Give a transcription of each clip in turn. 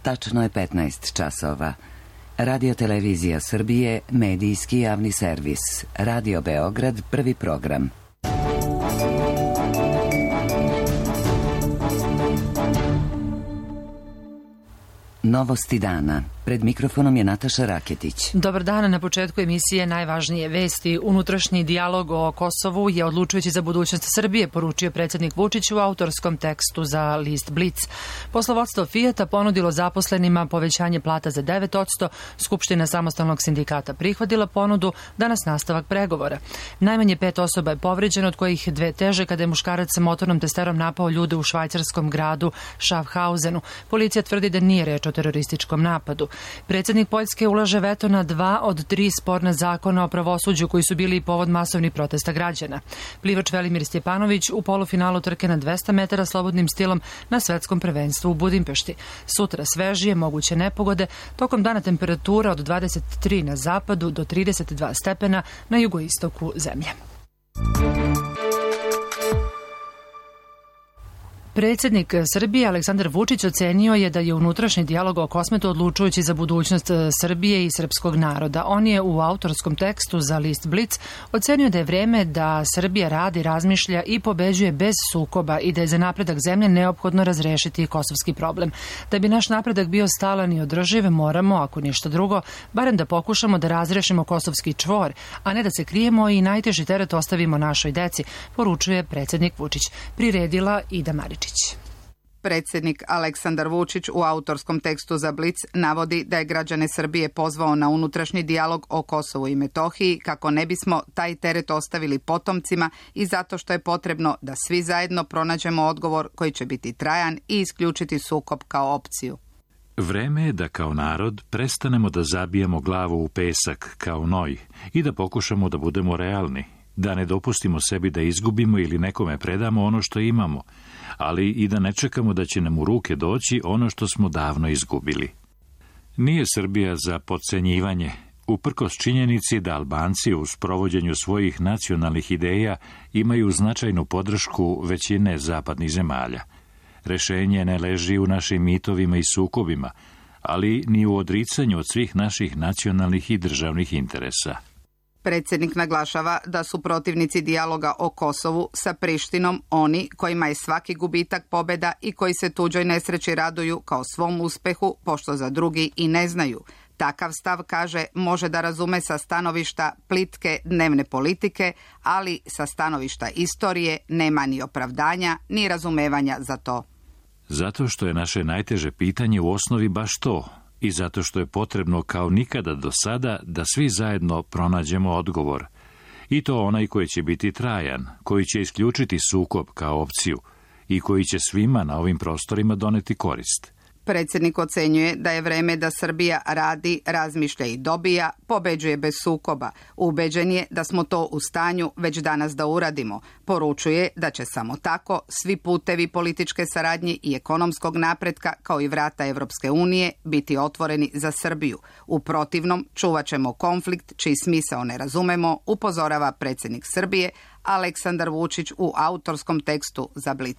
Tačno je 15 časova. Radio-televizija Srbije, medijski javni servis. Radio Beograd, prvi program. Novosti dana. Pred mikrofonom je Nataša Raketić. Dobar dan, na početku emisije najvažnije vesti. Unutrašnji dijalog o Kosovu je odlučujući za budućnost Srbije, poručio predsjednik Vučić u autorskom tekstu za list Blic. Poslovodstvo Fijata ponudilo zaposlenima povećanje plata za 9%, Skupština samostalnog sindikata prihvatila ponudu, danas nastavak pregovora. Najmanje 5 osoba je povređeno, od kojih 2 teže kada je muškarac sa motornom testerom napao ljude u švajcarskom gradu Schaffhausenu. Policija tvrdi da nije reč o terorističkom napadu. Predsjednik Poljske ulaže veto na 2 od 3 sporna zakona o pravosuđu koji su bili povod masovnih protesta građana. Plivač Velimir Stjepanović u polufinalu trke na 200 metara slobodnim stilom na svetskom prvenstvu u Budimpešti. Sutra svežije, moguće nepogode, tokom dana temperatura od 23 na zapadu do 32 stepena na jugoistoku zemlje. Predsjednik Srbije Aleksandar Vučić ocenio je da je unutrašnji dijalog o Kosmetu odlučujući za budućnost Srbije i srpskog naroda. On je u autorskom tekstu za list Blic ocenio da je vreme da Srbija radi, razmišlja i pobeđuje bez sukoba i da je za napredak zemlje neophodno razrešiti kosovski problem. Da bi naš napredak bio stalan i održiv, moramo, ako ništa drugo, barem da pokušamo da razrešimo kosovski čvor, a ne da se krijemo i najteži teret ostavimo našoj deci, poručuje predsjednik Vučić. Priredila Ida Marić. Predsjednik Aleksandar Vučić u autorskom tekstu za Blic navodi da je građane Srbije pozvao na unutrašnji dijalog o Kosovu i Metohiji kako ne bismo taj teret ostavili potomcima i zato što je potrebno da svi zajedno pronađemo odgovor koji će biti trajan i isključiti sukob kao opciju. Vreme je da kao narod prestanemo da zabijamo glavu u pesak kao noj i da pokušamo da budemo realni, da ne dopustimo sebi da izgubimo ili nekome predamo ono što imamo, ali i da ne čekamo da će nam u ruke doći ono što smo davno izgubili. Nije Srbija za potcenjivanje, uprkos činjenici da Albanci u sprovođenju svojih nacionalnih ideja imaju značajnu podršku većine zapadnih zemalja. Rešenje ne leži u našim mitovima i sukobima, ali ni u odricanju od svih naših nacionalnih i državnih interesa. Predsjednik naglašava da su protivnici dijaloga o Kosovu sa Prištinom oni kojima je svaki gubitak pobjeda i koji se tuđoj nesreći raduju kao svom uspehu, pošto za drugi i ne znaju. Takav stav, kaže, može da razume sa stanovišta plitke dnevne politike, ali sa stanovišta istorije nema ni opravdanja, ni razumevanja za to. Zato što je naše najteže pitanje u osnovi baš to, i zato što je potrebno kao nikada do sada da svi zajedno pronađemo odgovor. I to onaj koji će biti trajan, koji će isključiti sukob kao opciju i koji će svima na ovim prostorima doneti korist. Predsjednik ocenjuje da je vreme da Srbija radi, razmišlja i dobija, pobeđuje bez sukoba. Ubeđen je da smo to u stanju već danas da uradimo. Poručuje da će samo tako svi putevi političke saradnje i ekonomskog napretka, kao i vrata Evropske unije, biti otvoreni za Srbiju. U protivnom, čuvat ćemo konflikt čiji smisao ne razumemo, upozorava predsjednik Srbije Aleksandar Vučić u autorskom tekstu za Blic.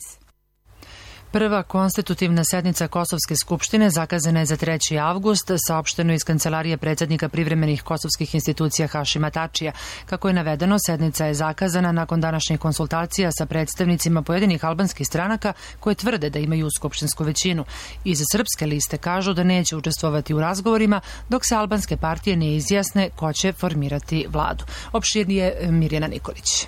Prva konstitutivna sednica Kosovske skupštine zakazana je za 3. avgust, saopšteno iz kancelarije predsjednika privremenih kosovskih institucija Hašima Tačija. Kako je navedeno, sednica je zakazana nakon današnjih konsultacija sa predstavnicima pojedinih albanskih stranaka koje tvrde da imaju skupštinsku većinu. Iz srpske liste kažu da neće učestvovati u razgovorima dok se albanske partije ne izjasne ko će formirati vladu. Opširnije Mirjana Nikolić.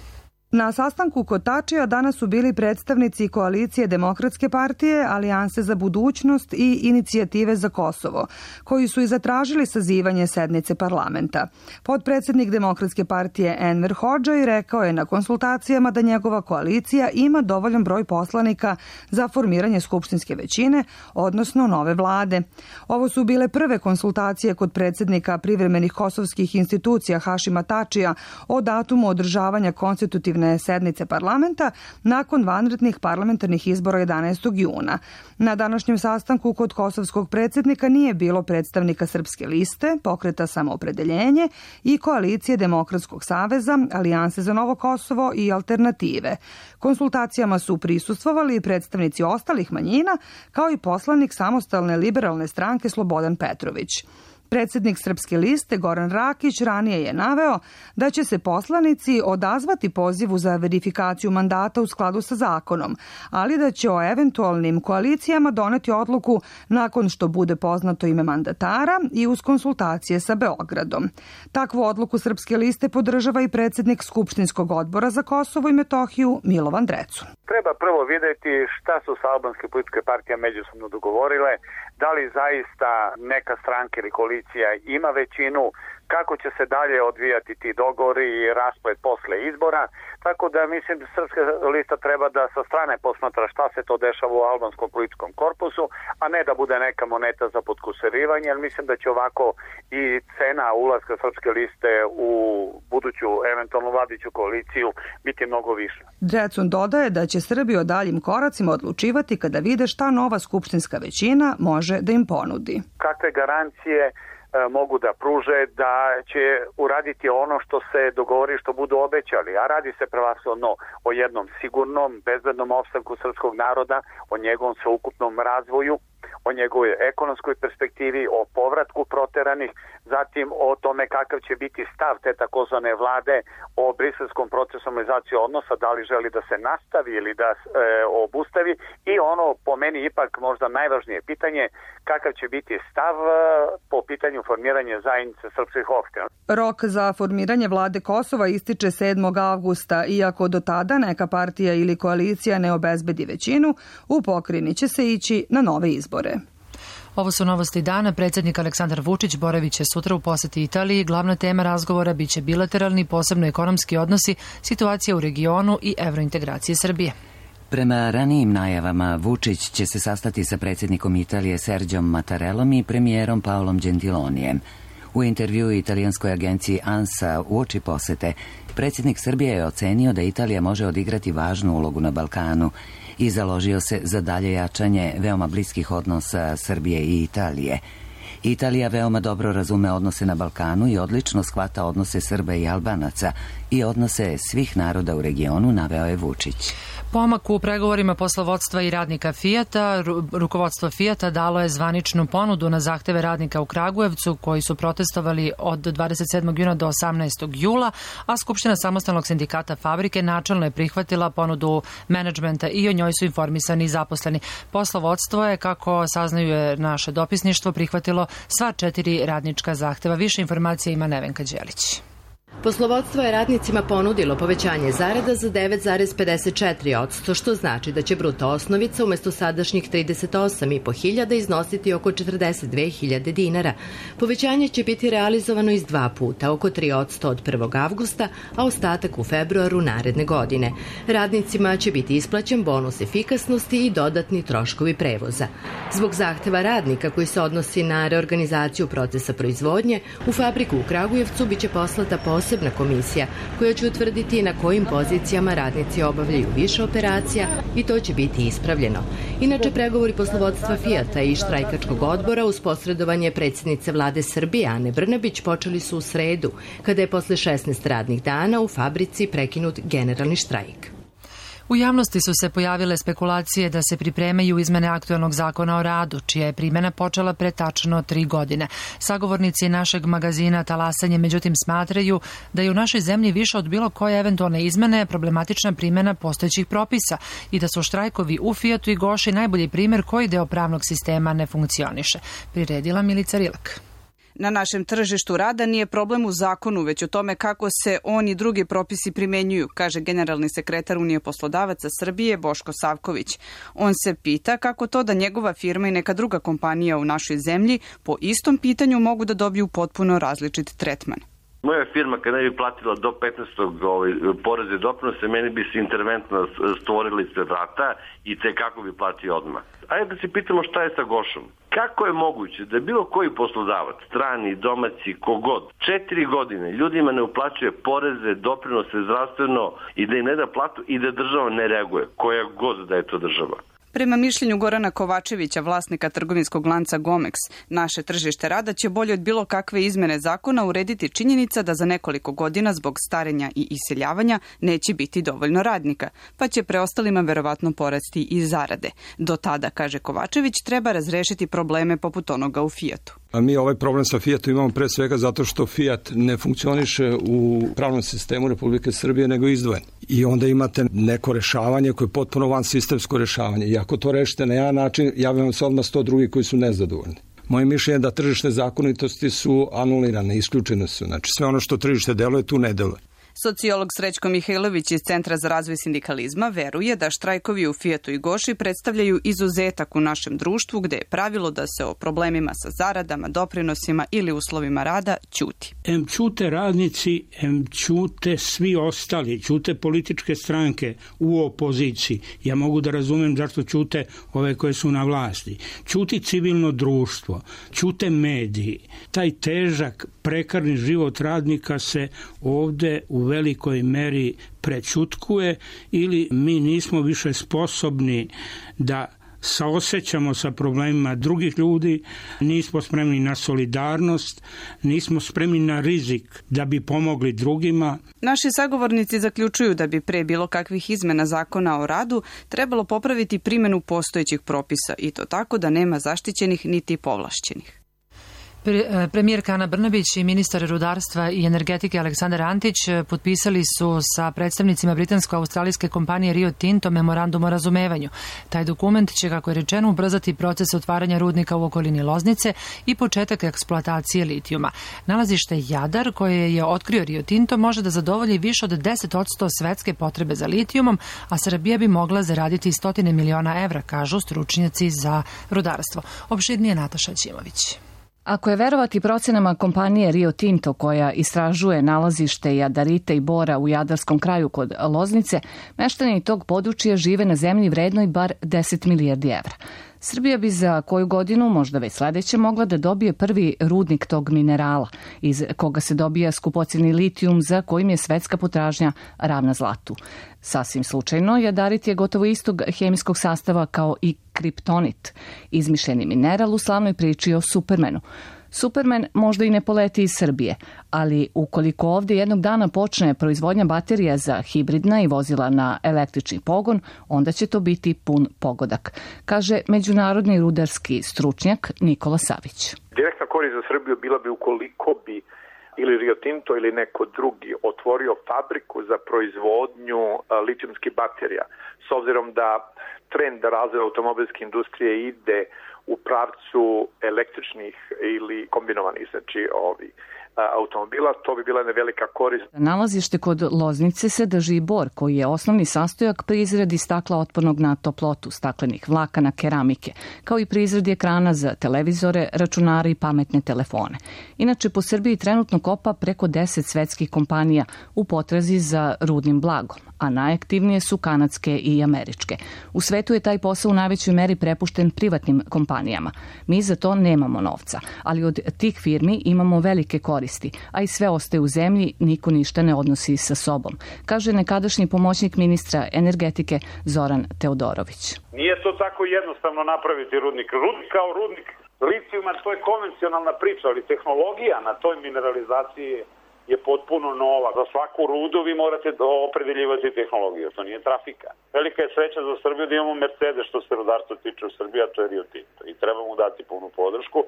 Na sastanku kod Tačija danas su bili predstavnici koalicije Demokratske partije, Alijanse za budućnost i Inicijative za Kosovo, koji su i zatražili sazivanje sednice parlamenta. Potpredsjednik Demokratske partije Enver Hodžaj rekao je na konsultacijama da njegova koalicija ima dovoljan broj poslanika za formiranje skupštinske većine, odnosno nove vlade. Ovo su bile prve konsultacije kod predsjednika privremenih kosovskih institucija Hašima Tačija o datumu održavanja konstitutivne konstitutivne sednice parlamenta nakon vanrednih parlamentarnih izbora 11. juna. Na današnjem sastanku kod kosovskog predsjednika nije bilo predstavnika Srpske liste, Pokreta Samoopredeljenje i Koalicije Demokratskog saveza, Alijanse za Novo Kosovo i Alternative. Konsultacijama su prisustvovali i predstavnici ostalih manjina, kao i poslanik Samostalne liberalne stranke Slobodan Petrović. Predsjednik Srpske liste Goran Rakić ranije je naveo da će se poslanici odazvati pozivu za verifikaciju mandata u skladu sa zakonom, ali da će o eventualnim koalicijama doneti odluku nakon što bude poznato ime mandatara i uz konsultacije sa Beogradom. Takvu odluku Srpske liste podržava i predsjednik Skupštinskog odbora za Kosovo i Metohiju Milovan Drecu. Treba prvo vidjeti šta su se albanske političke partije međusobno dogovorile, da li zaista neka stranka ili koalicija ima većinu, kako će se dalje odvijati ti dogovori i rasplet posle izbora. Tako da mislim da Srpska lista treba da sa strane posmatra šta se to dešava u albanskom političkom korpusu, a ne da bude neka moneta za potkusurivanje, jer mislim da će ovako i cena ulaska Srpske liste u buduću eventualnu vladajuću koaliciju biti mnogo više. Drecun dodaje da će Srbi o daljim koracima odlučivati kada vide šta nova skupštinska većina može da im ponudi. Kakve garancije mogu da pruže da će uraditi ono što se dogovori, što budu obećali, a radi se prevashodno o jednom sigurnom, bezbednom opstanku srpskog naroda, o njegovom sveukupnom razvoju, o njegovoj ekonomskoj perspektivi, o povratku proteranih, zatim o tome kakav će biti stav te takozvane vlade o briselskom procesu normalizacije odnosa, da li želi da se nastavi ili da obustavi, i ono po meni ipak možda najvažnije pitanje, kakav će biti stav po pitanju formiranja zajednice srpskih opština. Rok za formiranje vlade Kosova ističe 7. avgusta, iako do tada neka partija ili koalicija ne obezbedi većinu, u pokrajini će se ići na nove izbore. Ovo su novosti dana. Predsjednik Aleksandar Vučić boraviće sutra u poseti Italiji. Glavna tema razgovora biće bilateralni, posebno ekonomski odnosi, situacija u regionu i evrointegracije Srbije. Prema ranijim najavama, Vučić će se sastati sa predsjednikom Italije Serđom Mattarellom i premijerom Paolom Gentilonijem. U intervjuu italijanskoj agenciji ANSA uoči posete, predsjednik Srbije je ocenio da Italija može odigrati važnu ulogu na Balkanu i založio se za dalje jačanje veoma bliskih odnosa Srbije i Italije. Italija veoma dobro razume odnose na Balkanu i odlično shvata odnose Srba i Albanaca i odnose svih naroda u regionu, naveo je Vučić. Pomak u pregovorima poslovodstva i radnika Fijata. Rukovodstvo Fijata dalo je zvaničnu ponudu na zahteve radnika u Kragujevcu koji su protestovali od 27. juna do 18. jula, a Skupština samostalnog sindikata fabrike načelno je prihvatila ponudu menadžmenta i o njoj su informisani zaposleni. Poslovodstvo je, kako saznaju naše dopisništvo, prihvatilo sva 4 radnička zahteva. Više informacija ima Nevenka Đelić. Poslovodstvo je radnicima ponudilo povećanje zarada za 9,54%, što znači da će bruto osnovica umjesto sadašnjih 38.500 iznositi oko 42.000 dinara. Povećanje će biti realizovano iz 2 puta, oko 3% od 1. avgusta, a ostatak u februaru naredne godine. Radnicima će biti isplaćen bonus efikasnosti i dodatni troškovi prevoza. Zbog zahteva radnika koji se odnosi na reorganizaciju procesa proizvodnje, u fabriku u Kragujevcu biće poslata posebna komisija koja će utvrditi na kojim pozicijama radnici obavljaju više operacija i to će biti ispravljeno. Inače, pregovori poslovodstva Fijata i štrajkačkog odbora uz posredovanje predsjednice vlade Srbije Ane Brnabić počeli su u sredu, kada je posle 16 radnih dana u fabrici prekinut generalni štrajk. U javnosti su se pojavile spekulacije da se pripremaju izmene aktuelnog zakona o radu, čija je primjena počela pre tačno 3 godine. Sagovornici našeg magazina Talasanje međutim smatraju da je u našoj zemlji više od bilo koje eventualne izmene problematična primjena postojećih propisa i da su štrajkovi u Fijatu i Goši najbolji primjer koji deo pravnog sistema ne funkcioniše. Priredila Milica Rilak. Na našem tržištu rada nije problem u zakonu, već o tome kako se on i drugi propisi primenjuju, kaže generalni sekretar Unije poslodavaca Srbije Boško Savković. On se pita kako to da njegova firma i neka druga kompanija u našoj zemlji po istom pitanju mogu da dobiju potpuno različit tretman. Moja firma kad ne bi platila do 15. poreze i doprinose, meni bi se interventno stvorili se vrata i te kako bi platio odmah. Ajde da se pitamo šta je sa Gošom. Kako je moguće da bilo koji poslodavac, strani, domaći, kogod, 4 godine ljudima ne uplaćuje poreze, doprinose, zdravstveno i da im ne da platu i da država ne reaguje, koja god da je to država? Prema mišljenju Gorana Kovačevića, vlasnika trgovinskog lanca Gomex, naše tržište rada će bolje od bilo kakve izmene zakona urediti činjenica da za nekoliko godina zbog starenja i iseljavanja neće biti dovoljno radnika, pa će preostalima verovatno porasti i zarade. Do tada, kaže Kovačević, treba razrešiti probleme poput onoga u Fijatu. A mi ovaj problem sa Fijatom imamo pre svega zato što Fijat ne funkcioniše u pravnom sistemu Republike Srbije, nego izdvojen. I onda imate neko rešavanje koje je potpuno van sistemsko rešavanje. I ako to rešite na jedan način, javljamo se odmah 100 drugi koji su nezadovoljni. Moje mišljenje je da tržišne zakonitosti su anulirane, isključene su. Znači sve ono što tržište deluje, tu ne deluje. Sociolog Srećko Mihajlović iz Centra za razvoj sindikalizma veruje da štrajkovi u Fijatu i Goši predstavljaju izuzetak u našem društvu gde je pravilo da se o problemima sa zaradama, doprinosima ili uslovima rada ćuti. Em ćute radnici, em ćute svi ostali, ćute političke stranke u opoziciji. Ja mogu da razumem zašto ćute ove koje su na vlasti. Ćuti civilno društvo, ćute mediji. Taj težak, prekarni život radnika se ovde u velikoj meri prećutkuje ili mi nismo više sposobni da saosećamo sa problemima drugih ljudi, nismo spremni na solidarnost, nismo spremni na rizik da bi pomogli drugima. Naši sagovornici zaključuju da bi pre bilo kakvih izmena zakona o radu trebalo popraviti primjenu postojećih propisa i to tako da nema zaštićenih niti povlašćenih. Premijerka Ana Brnabić i ministar rudarstva i energetike Aleksandar Antić potpisali su sa predstavnicima britansko-australijske kompanije Rio Tinto memorandum o razumevanju. Taj dokument će, kako je rečeno, ubrzati proces otvaranja rudnika u okolini Loznice i početak eksploatacije litijuma. Nalazište Jadar, koje je otkrio Rio Tinto, može da zadovolji više od 10% svetske potrebe za litijumom, a Srbija bi mogla zaraditi 100 miliona evra, kažu stručnjaci za rudarstvo. Opširnije Nataša Ćimović. Ako je verovati procenama kompanije Rio Tinto, koja istražuje nalazište jadarita i bora u jadarskom kraju kod Loznice, meštani tog područja žive na zemlji vrednoj bar 10 milijardi evra. Srbija bi za koju godinu, možda već sledeće, mogla da dobije prvi rudnik tog minerala, iz koga se dobija skupocjeni litijum za kojim je svetska potražnja ravna zlatu. Sasvim slučajno, jadarit je gotovo istog hemijskog sastava kao i kriptonit, izmišljeni mineral u slavnoj priči o Supermanu. Superman možda i ne poleti iz Srbije, ali ukoliko ovdje jednog dana počne proizvodnja baterija za hibridna i vozila na električni pogon, onda će to biti pun pogodak, kaže međunarodni rudarski stručnjak Nikola Savić. Direktna korist za Srbiju bila bi ukoliko bi ili Rio Tinto ili neko drugi otvorio fabriku za proizvodnju litijumskih baterija. S obzirom da trend razvoja automobilske industrije ide u pravcu električnih ili kombinovanih, znači automobila, to bi bila nevelika korist. Nalazište kod Loznice se drži bor, koji je osnovni sastojak pri izradi stakla otpornog na toplotu, staklenih vlakana, keramike, kao i pri izradi ekrana za televizore, računare i pametne telefone. Inače, po Srbiji trenutno kopa preko 10 svetskih kompanija u potrazi za rudnim blagom, a najaktivnije su kanadske i američke. U svetu je taj posao u najvećoj meri prepušten privatnim kompanijama. Mi za to nemamo novca, ali od tih firmi imamo velike koristi, a i sve ostaje u zemlji, niko ništa ne odnosi sa sobom, kaže nekadašnji pomoćnik ministra energetike Zoran Teodorović. Nije to tako jednostavno napraviti rudnik. Rudnik kao rudnik litijuma, to je konvencionalna priča, ali tehnologija na toj mineralizaciji je potpuno nova. Za svaku rudu vi morate opredeljivati tehnologiju, to nije trafika. Velika je sreća za Srbiju da imamo Mercedes što se rudarstva tiče u Srbiji, a to je Rio Tinto i treba mu dati punu podršku.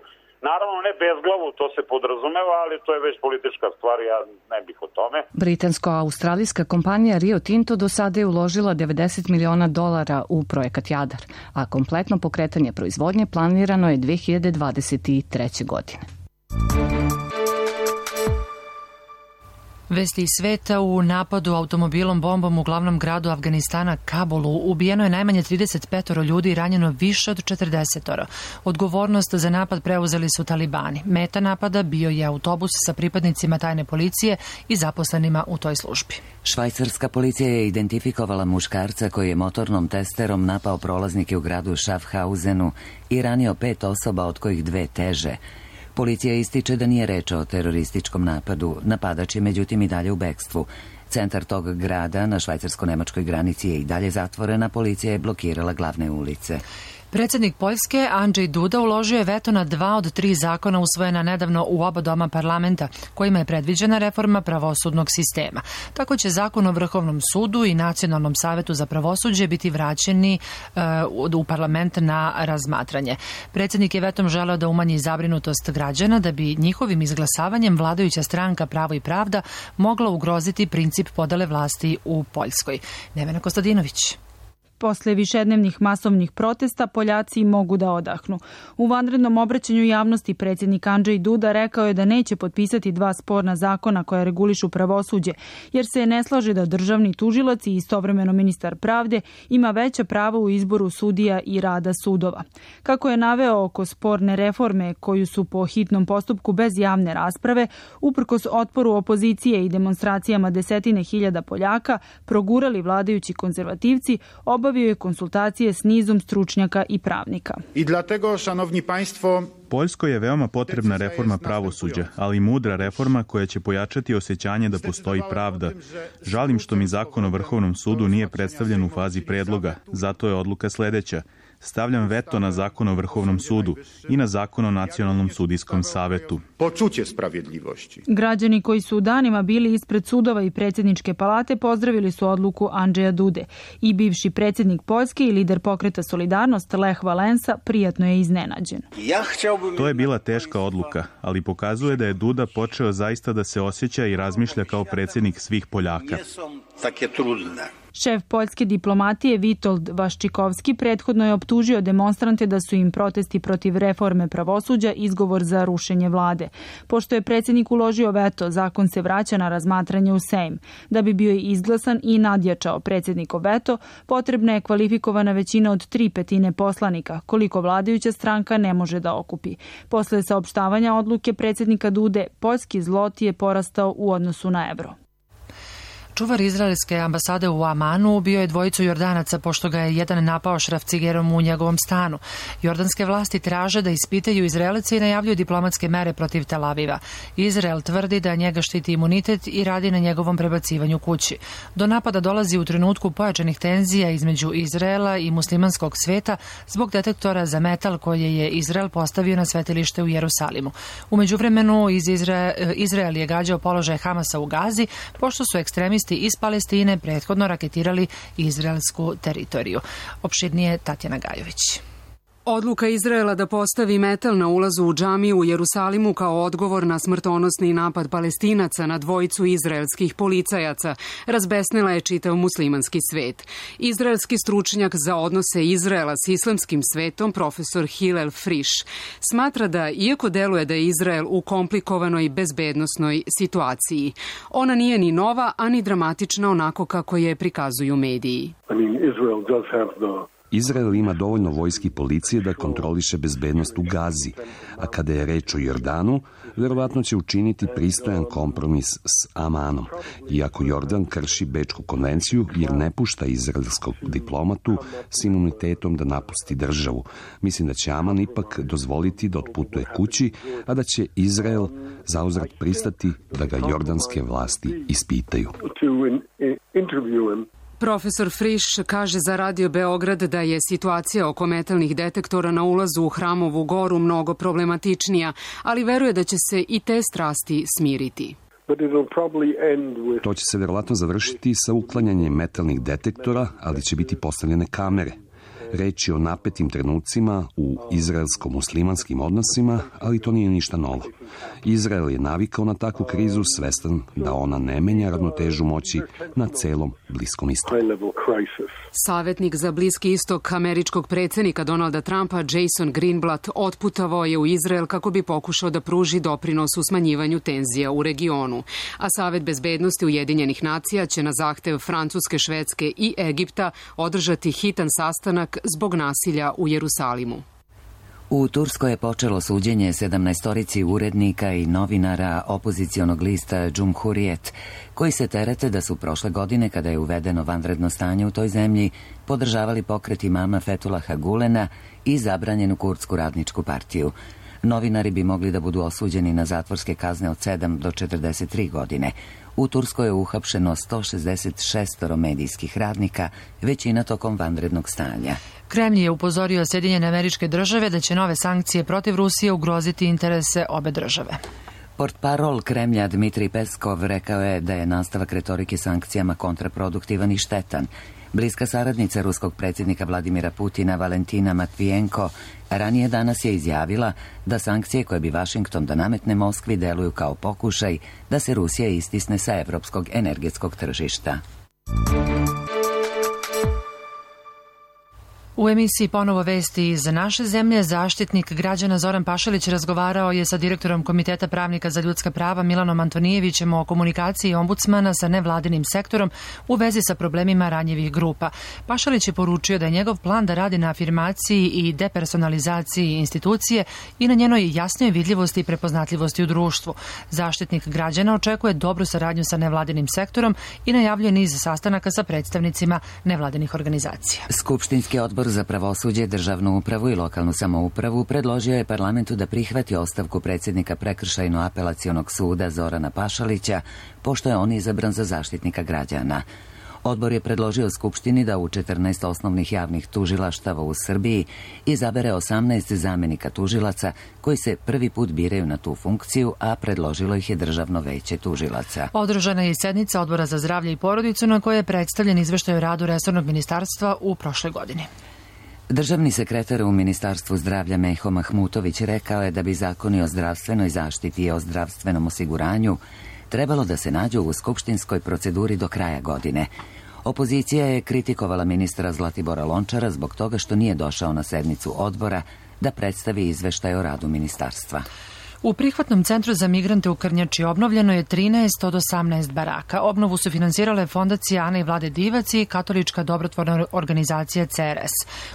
Naravno ne bezglavu, to se podrazumeva, ali to je već politička stvar, ja ne bih o tome. Britansko-australijska kompanija Rio Tinto do sada je uložila $90 miliona u projekat Jadar, a kompletno pokretanje proizvodnje planirano je 2023. godine. Vesti iz sveta: u napadu automobilom bombom u glavnom gradu Afganistana, Kabulu, ubijeno je najmanje 35 ljudi i ranjeno više od 40. Odgovornost za napad preuzeli su talibani. Meta napada bio je autobus sa pripadnicima tajne policije i zaposlenima u toj službi. Švajcarska policija je identifikovala muškarca koji je motornom testerom napao prolaznike u gradu Schaffhausenu i ranio 5 osoba, od kojih 2 teže. Policija ističe da nije reč o terorističkom napadu. Napadač je međutim i dalje u bekstvu. Centar tog grada na švajcarsko-nemačkoj granici je i dalje zatvorena, policija je blokirala glavne ulice. Predsjednik Poljske Andrzej Duda uložio je veto na 2 od 3 zakona usvojena nedavno u oba doma parlamenta, kojima je predviđena reforma pravosudnog sistema. Tako će zakon o Vrhovnom sudu i Nacionalnom savetu za pravosuđe biti vraćeni u parlament na razmatranje. Predsjednik je vetom želeo da umanji zabrinutost građana da bi njihovim izglasavanjem vladajuća stranka Pravo i pravda mogla ugroziti princip podele vlasti u Poljskoj. Nevena Kostadinović. Posle višednevnih masovnih protesta Poljaci mogu da odahnu. U vanrednom obraćanju javnosti predsjednik Andrzej Duda rekao je da neće potpisati 2 sporna zakona koja regulišu pravosuđe, jer se ne slaže da državni tužilac i istovremeno ministar pravde ima veća prava u izboru sudija i rada sudova. Kako je naveo, oko sporne reforme koju su po hitnom postupku bez javne rasprave, uprkos otporu opozicije i demonstracijama 10.000 Poljaka, progurali vladajući konzervativci, obavio je konsultacije s nizom stručnjaka i pravnika. I dlatego, šanovni państwo, Poljskoj je veoma potrebna reforma pravosuđa, ali i mudra reforma koja će pojačati osjećanje da postoji pravda. Žalim što mi zakon o Vrhovnom sudu nije predstavljen u fazi predloga, zato je odluka sledeća. Stavljam veto na zakon o Vrhovnom sudu i na zakon o Nacionalnom sudijskom savetu. Počuće sprawiedliwości. Građani koji su danima bili ispred sudova i predsjedničke palate pozdravili su odluku Andrzeja Dude. I bivši predsjednik Poljske i lider pokreta Solidarnost Lech Valensa prijatno je iznenađen. To je bila teška odluka, ali pokazuje da je Duda počeo zaista da se osjeća i razmišlja kao predsjednik svih Poljaka. Šef poljske diplomatije Witold Waszczykowski prethodno je optužio demonstrante da su im protesti protiv reforme pravosuđa izgovor za rušenje vlade. Pošto je predsjednik uložio veto, zakon se vraća na razmatranje u Sejm. Da bi bio izglasan i nadjačao predsjednikov veto, potrebna je kvalifikovana većina od 3/5 poslanika, koliko vladajuća stranka ne može da okupi. Posle saopštavanja odluke predsjednika Dude, poljski zlot je porastao u odnosu na evro. Čuvar izraelske ambasade u Amanu ubio je 2 Jordanaca pošto ga je jedan napao šrafcigerom u njegovom stanu. Jordanske vlasti traže da ispitaju Izraelce i najavljuju diplomatske mere protiv Tel Aviva. Izrael tvrdi da njega štiti imunitet i radi na njegovom prebacivanju kući. Do napada dolazi u trenutku pojačanih tenzija između Izraela i muslimanskog sveta zbog detektora za metal koje je Izrael postavio na svetilište u Jerusalimu. U međuvremenu Izrael je gađao položaj Hamasa u Gazi pošto su ekstremisti iz Palestine prethodno raketirali izraelsku teritoriju. Opširnije Tatjana Gajović. Odluka Izraela da postavi metal na ulazu u džamiju u Jerusalimu kao odgovor na smrtonosni napad Palestinaca na 2 izraelskih policajaca razbesnila je čitav muslimanski svet. Izraelski stručnjak za odnose Izraela s islamskim svetom, profesor Hillel Frisch, smatra da, iako deluje da je Izrael u komplikovanoj bezbednosnoj situaciji, ona nije ni nova, a ni dramatična onako kako je prikazuju mediji. Izrael ima dovoljno vojske i policije da kontroliše bezbednost u Gazi, a kada je reč o Jordanu, verovatno će učiniti pristojan kompromis s Amanom, iako Jordan krši Bečku konvenciju jer ne pušta izraelskog diplomatu s imunitetom da napusti državu. Mislim da će Aman ipak dozvoliti da otputuje kući, a da će Izrael zauzvrat pristati da ga jordanske vlasti ispitaju. Profesor Frisch kaže za Radio Beograd da je situacija oko metalnih detektora na ulazu u Hramovu goru mnogo problematičnija, ali veruje da će se i te strasti smiriti. To će se verovatno završiti sa uklanjanjem metalnih detektora, ali će biti postavljene kamere. Reč je o napetim trenucima u izraelsko-muslimanskim odnosima, ali to nije ništa novo. Izrael je navikao na takvu krizu, svestan da ona ne menja ravnotežu moći na celom Bliskom istoku. Savetnik za Bliski istok američkog predsjednika Donalda Trumpa, Jason Greenblatt, otputovao je u Izrael kako bi pokušao da pruži doprinos u smanjivanju tenzija u regionu. A Savet bezbednosti Ujedinjenih nacija će na zahtev Francuske, Švedske i Egipta održati hitan sastanak zbog nasilja u Jerusalimu. U Turskoj je počelo suđenje 17 urednika i novinara opozicionog lista Cumhuriyet, koji se terete da su prošle godine, kada je uvedeno vanredno stanje u toj zemlji, podržavali pokret imama Fethullaha Gulena i zabranjenu kurdsku radničku partiju. Novinari bi mogli da budu osuđeni na zatvorske kazne od 7 do 43 godine. U Turskoj je uhapšeno 166 medijskih radnika, većina tokom vanrednog stanja. Kremlj je upozorio Sjedinjene Američke Države da će nove sankcije protiv Rusije ugroziti interese obe države. Portparol Kremlja Dmitrij Peskov rekao je da je nastavak retorike sankcijama kontraproduktivan i štetan. Bliska saradnica ruskog predsjednika Vladimira Putina Valentina Matvijenko ranije danas je izjavila da sankcije koje bi Vašington da nametne Moskvi deluju kao pokušaj da se Rusija istisne sa evropskog energetskog tržišta. U emisiji Ponovo vesti iz naše zemlje, zaštitnik građana Zoran Pašalić razgovarao je sa direktorom Komiteta pravnika za ljudska prava Milanom Antonijevićem o komunikaciji ombudsmana sa nevladinim sektorom u vezi sa problemima ranjivih grupa. Pašalić je poručio da je njegov plan da radi na afirmaciji i depersonalizaciji institucije i na njenoj jasnoj vidljivosti i prepoznatljivosti u društvu. Zaštitnik građana očekuje dobru saradnju sa nevladinim sektorom i najavljuje niz sastanaka sa predstavnicima nevladinih organizacija. Skupštinski odbor za pravosuđe, državnu upravu i lokalnu samoupravu predložio je parlamentu da prihvati ostavku predsjednika Prekršajno-apelacionog suda Zorana Pašalića, pošto je on izabran za zaštitnika građana. Odbor je predložio Skupštini da u 14 osnovnih javnih tužilaštava u Srbiji izabere 18 zamenika tužilaca koji se prvi put biraju na tu funkciju, a predložilo ih je Državno veće tužilaca. Održana je i sednica Odbora za zdravlje i porodicu na kojoj je predstavljen izveštaj o radu resornog ministarstva u prošloj godini. Državni sekretar u Ministarstvu zdravlja Meho Mahmutović rekao je da bi zakoni o zdravstvenoj zaštiti i o zdravstvenom osiguranju trebalo da se nađu u skupštinskoj proceduri do kraja godine. Opozicija je kritikovala ministra Zlatibora Lončara zbog toga što nije došao na sednicu odbora da predstavi izveštaj o radu ministarstva. U prihvatnom centru za migrante u Krnjači obnovljeno je 13 od 18 baraka. Obnovu su finansirale fondacija Ana i Vlade Divac i katolička dobrotvorna organizacija CRS.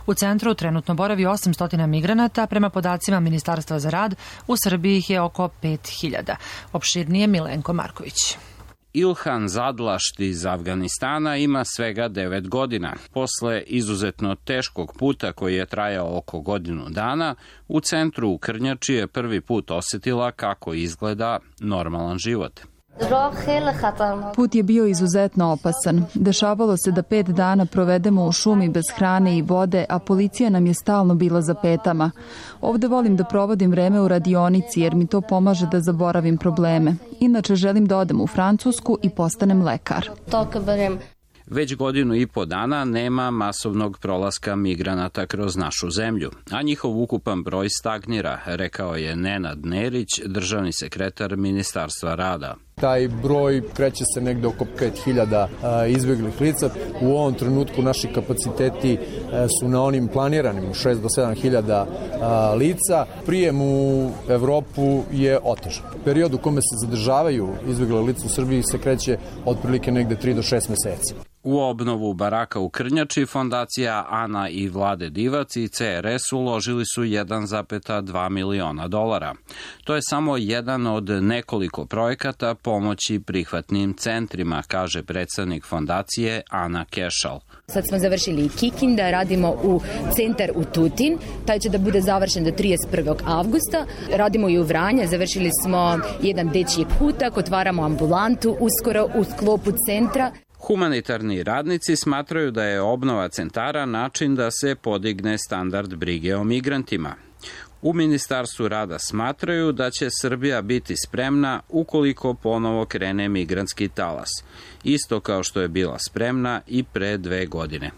U centru trenutno boravi 800 migranata, prema podacima Ministarstva za rad, u Srbiji ih je oko 5000. Opširnije Milenko Marković. Ilhan Zadlašt iz Afganistana ima svega 9 godina. Posle izuzetno teškog puta koji je trajao oko godinu dana, u centru u Krnjači je prvi put osjetila kako izgleda normalan život. Put je bio izuzetno opasan. Dešavalo se da 5 dana provedemo u šumi bez hrane i vode, a policija nam je stalno bila za petama. Ovde volim da provodim vreme u radionici jer mi to pomaže da zaboravim probleme. Inače želim da odem u Francusku i postanem lekar. Već godinu i po dana nema masovnog prolaska migranata kroz našu zemlju, a njihov ukupan broj stagnira, rekao je Nenad Nerić, državni sekretar Ministarstva rada. Taj broj kreće se negde oko 5000 izbeglih lica. U ovom trenutku naši kapaciteti su na onim planiranim 6 do 7000 lica. Prijem u Evropu je otežan. Period u kome se zadržavaju izbegle lica u Srbiji se kreće otprilike negde 3 do 6 meseci. U obnovu baraka u Krnjači fondacija Ana i Vlade Divac i CRS uložili su 1,2 miliona dolara. To je samo jedan od nekoliko projekata pomoći prihvatnim centrima, kaže predstavnik fondacije Ana Kešal. Sad smo završili Kikinda, radimo u centar u Tutin, taj će da bude završen do 31. avgusta. Radimo i u Vranje, završili smo jedan dečji kutak, otvaramo ambulantu uskoro u sklopu centra. Humanitarni radnici smatraju da je obnova centara način da se podigne standard brige o migrantima. U Ministarstvu rada smatraju da će Srbija biti spremna ukoliko ponovo krene migrantski talas, isto kao što je bila spremna i pre 2 godine.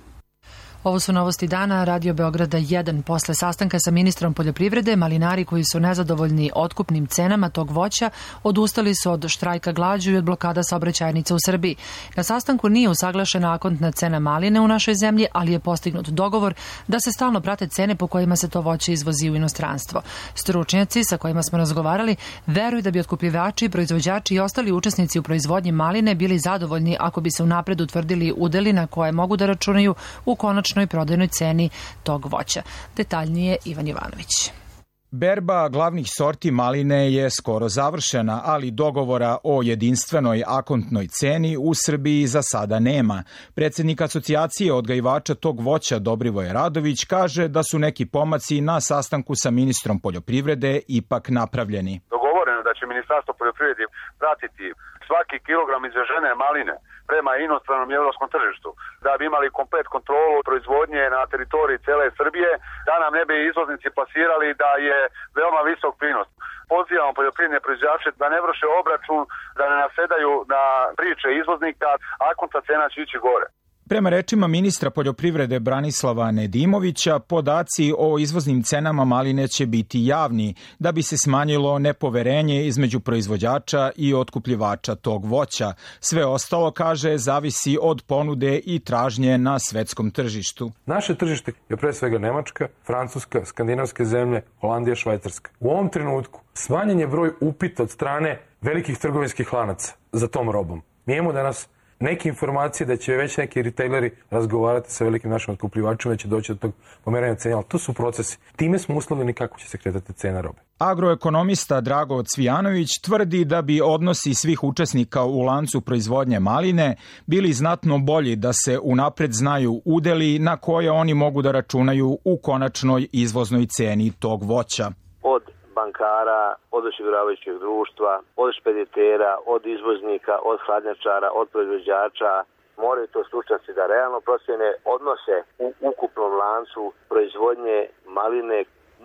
Ovo su novosti dana Radio Beograda 1. Posle sastanka sa ministrom poljoprivrede, malinari koji su nezadovoljni otkupnim cenama tog voća odustali su od štrajka glađu i od blokada saobraćajnica u Srbiji. Na sastanku nije usaglašena akontna cena maline u našoj zemlji, ali je postignut dogovor da se stalno prate cene po kojima se to voće izvozi u inostranstvo. Stručnjaci sa kojima smo razgovarali veruju da bi otkupljivači, proizvođači i ostali učesnici u proizvodnji maline bili zadovoljni ako bi se unapred utvrdili udeli na koje mogu da računaju u konačnoj prodajnoj ceni tog voća. Detaljnije Ivan Jovanović. Berba glavnih sorti maline je skoro završena, ali dogovora o jedinstvenoj akontnoj ceni u Srbiji za sada nema. Predsjednik asocijacije odgajivača tog voća Dobrivoje Radović kaže da su neki pomaci na sastanku sa ministrom poljoprivrede ipak napravljeni. Dogovoreno da će Ministarstvo poljoprivrede pratiti svaki kilogram izvežene maline prema inostranom i evropskom tržištu, da bi imali komplet kontrolu proizvodnje na teritoriji cele Srbije, da nam ne bi izvoznici plasirali da je veoma visok prinos. Pozivamo poljoprivredne proizvođače da ne vrše obračun, da ne nasedaju na priče izvoznika, akontna cena će ići gore. Prema rečima ministra poljoprivrede Branislava Nedimovića, podaci o izvoznim cenama maline će biti javni da bi se smanjilo nepoverenje između proizvođača i otkupljivača tog voća. Sve ostalo, kaže, zavisi od ponude i tražnje na svetskom tržištu. Naše tržište je pre svega Nemačka, Francuska, skandinavske zemlje, Holandija, Švajcarska. U ovom trenutku smanjen je broj upita od strane velikih trgovinskih lanaca za tom robom. Mi imamo danas neke informacije da će već neki retaileri razgovarati sa velikim našim otkupljivačima, da će doći do tog pomeranja cena, ali to su procesi. Time smo uslovljeni kako će se kretati cena robe. Agroekonomista Drago Cvijanović tvrdi da bi odnosi svih učesnika u lancu proizvodnje maline bili znatno bolji da se unapred znaju udeli na koje oni mogu da računaju u konačnoj izvoznoj ceni tog voća. Od bankara, od osiguravajućeg društva, od špeditera, od izvoznika, od hladnjačara, od proizvođača, moraju to stručnjaci da realno procjene odnose u ukupnom lancu proizvodnje maline.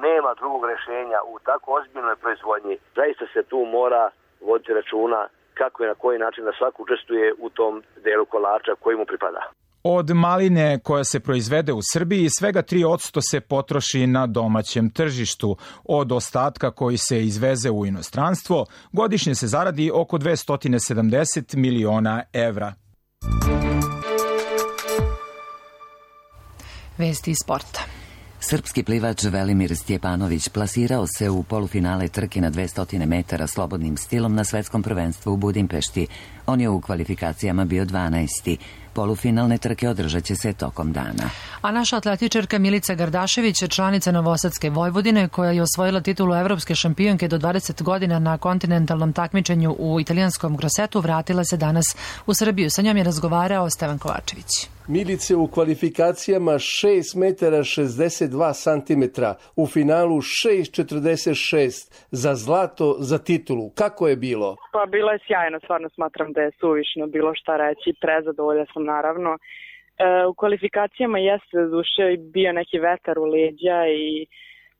Nema drugog rješenja u tako ozbiljnoj proizvodnji. Zaista se tu mora voditi računa kako i na koji način da svako učestvuje u tom delu kolača koji mu pripada. Od maline koja se proizvede u Srbiji svega 3% se potroši na domaćem tržištu. Od ostatka koji se izveze u inostranstvo godišnje se zaradi oko 270 miliona evra. Vesti iz sporta. Srpski plivač Velimir Stjepanović plasirao se u polufinale trke na 200 metara slobodnim stilom na svetskom prvenstvu u Budimpešti. On je u kvalifikacijama bio 12. Polufinalne trke održat će se tokom dana. A naša atletičarka Milica Gardašević, članica Novosadske Vojvodine, koja je osvojila titulu evropske šampionke do 20 godina na kontinentalnom takmičenju u italijanskom Grossetu, vratila se danas u Srbiju. Sa njom je razgovarao Stevan Kovačević. Milice u kvalifikacijama 6 metara 62 santimetra, u finalu 6,46 za zlato, za titulu. Kako je bilo? Pa bilo je sjajno, stvarno smatram da je suvišno bilo šta reći, prezadovolja sam naravno. U kvalifikacijama jeste duše bio neki vetar u leđa i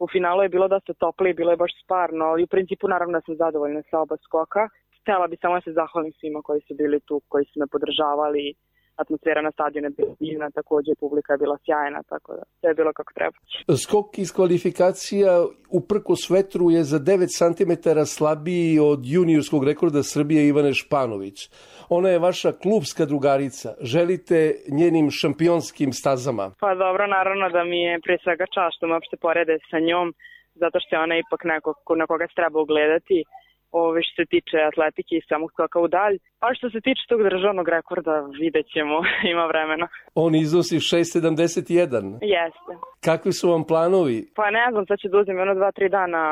u finalu je bilo dosta toplo i bilo je baš sparno, ali u principu naravno sam zadovoljna sa oba skoka. Htjela bi samo da se zahvalim svima koji su bili tu, koji su me podržavali. Atmosfera na stadionu je bila divna, također publika je bila sjajna, tako da sve je bilo kako treba. Skok iz kvalifikacija uprkos vetru je za 9 cm slabiji od juniorskog rekorda Srbije Ivane Španović. Ona je vaša klubska drugarica. Želite njenim šampionskim stazama? Pa dobro, naravno da mi je prije svega čast što me uopšte porede sa njom, zato što je ona ipak neko na koga se treba ugledati. Što se tiče atletike i samog skoka u dalj. A što se tiče tog državnog rekorda, vidjet ćemo, ima vremena. On iznosi 6,71. Jeste. Kakvi su vam planovi? Pa ne znam, sad ću da uzem 2-3 dana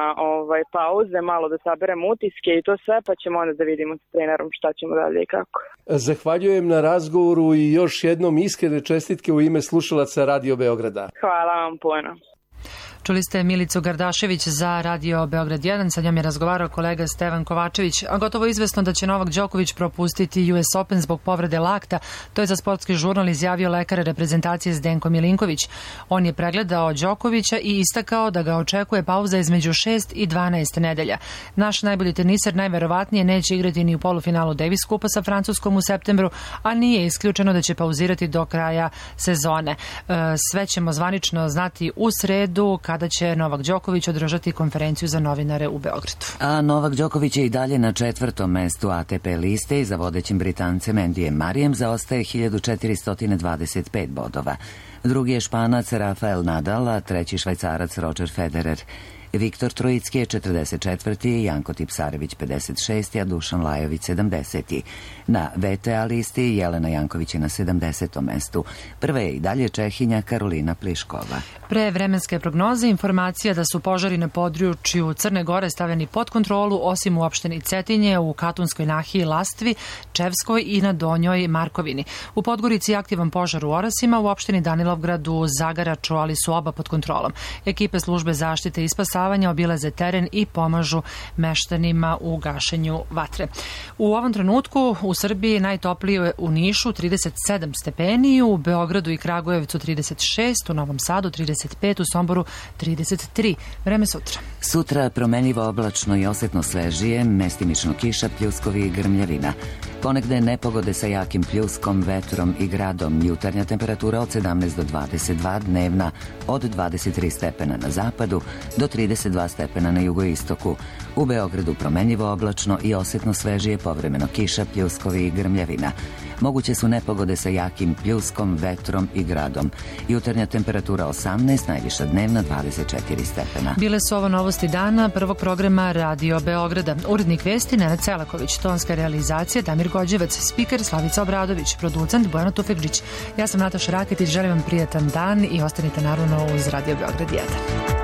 pauze, malo da saberem utiske i to sve, pa ćemo onda da vidimo s trenerom šta ćemo dalje i kako. Zahvaljujem na razgovoru i još jednom iskrene čestitke u ime slušalaca Radio Beograda. Hvala vam puno. Čuli ste Milicu Gardašević za Radio Beograd 1, sa njom je razgovarao kolega Stevan Kovačević. A gotovo izvesno da će Novak Đoković propustiti US Open zbog povrede lakta, to je za sportski žurnal izjavio lekar reprezentacije Zdenko Milinković. On je pregledao Đokovića i istakao da ga očekuje pauza između 6 i 12 nedelja. Naš najbolji teniser najverovatnije neće igrati ni u polufinalu Davis Kupa sa Francuskom u septembru, a nije isključeno da će pauzirati do kraja sezone. Sve ćemo zvanično znati u sredu kada će Novak Đoković održati konferenciju za novinare u Beogradu. A Novak Đoković je i dalje na 4. mestu ATP liste i za vodećim Britancem Andyjem Murrayem zaostaje 1425 bodova. Drugi je Španac Rafael Nadal, a treći Švajcarac Roger Federer. Viktor Trojicki je 44. Janko Tipsarević 56. a Dušan Lajović 70. Na VTA listi Jelena Janković je na 70. mestu. Prva je i dalje Čehinja Karolina Pliškova. Pre vremenske prognoze informacija da su požari na području Crne Gore stavljeni pod kontrolu, osim u opštini Cetinje, u Katunskoj nahiji Lastvi, Čevskoj i na Donjoj Markovini. U Podgorici je aktivan požar u Orasima, u opštini Danilovgradu, Zagaraču, ali su oba pod kontrolom. Ekipe službe zaštite i spasavanja obilaze teren i pomažu meštanima u gašenju vatre. U ovom trenutku u Srbiji najtoplije u Nišu 37 stepeni, u Beogradu i Kragujevcu 36, u Novom Sadu 35, u Somboru 33. Vreme sutra. Sutra promenljivo oblačno i osetno svežije, mestimično kiša, pljuskovi i grmljavina. Ponegde nepogode sa jakim pljuskom, vetrom i gradom. Jutarnja temperatura od 17 do 22, dnevna od 23 stepena na zapadu do 32 stepena na jugoistoku. U Beogradu promenljivo oblačno i osetno svežije, povremeno kiša, pljuskovi i grmljavina. Moguće su nepogode sa jakim pljuskom, vetrom i gradom. Jutarnja temperatura 18, najviša dnevna 24 stepena. Bile su ovo novosti dana prvog programa Radio Beograda. Urednik vesti Nenad Celaković, tonska realizacija Damir Gođevac, spiker Slavica Obradović, producent Bojana Tufekđić. Ja sam Nataša Raketić, želim vam prijatan dan i ostanite naravno uz Radio Beograd 1.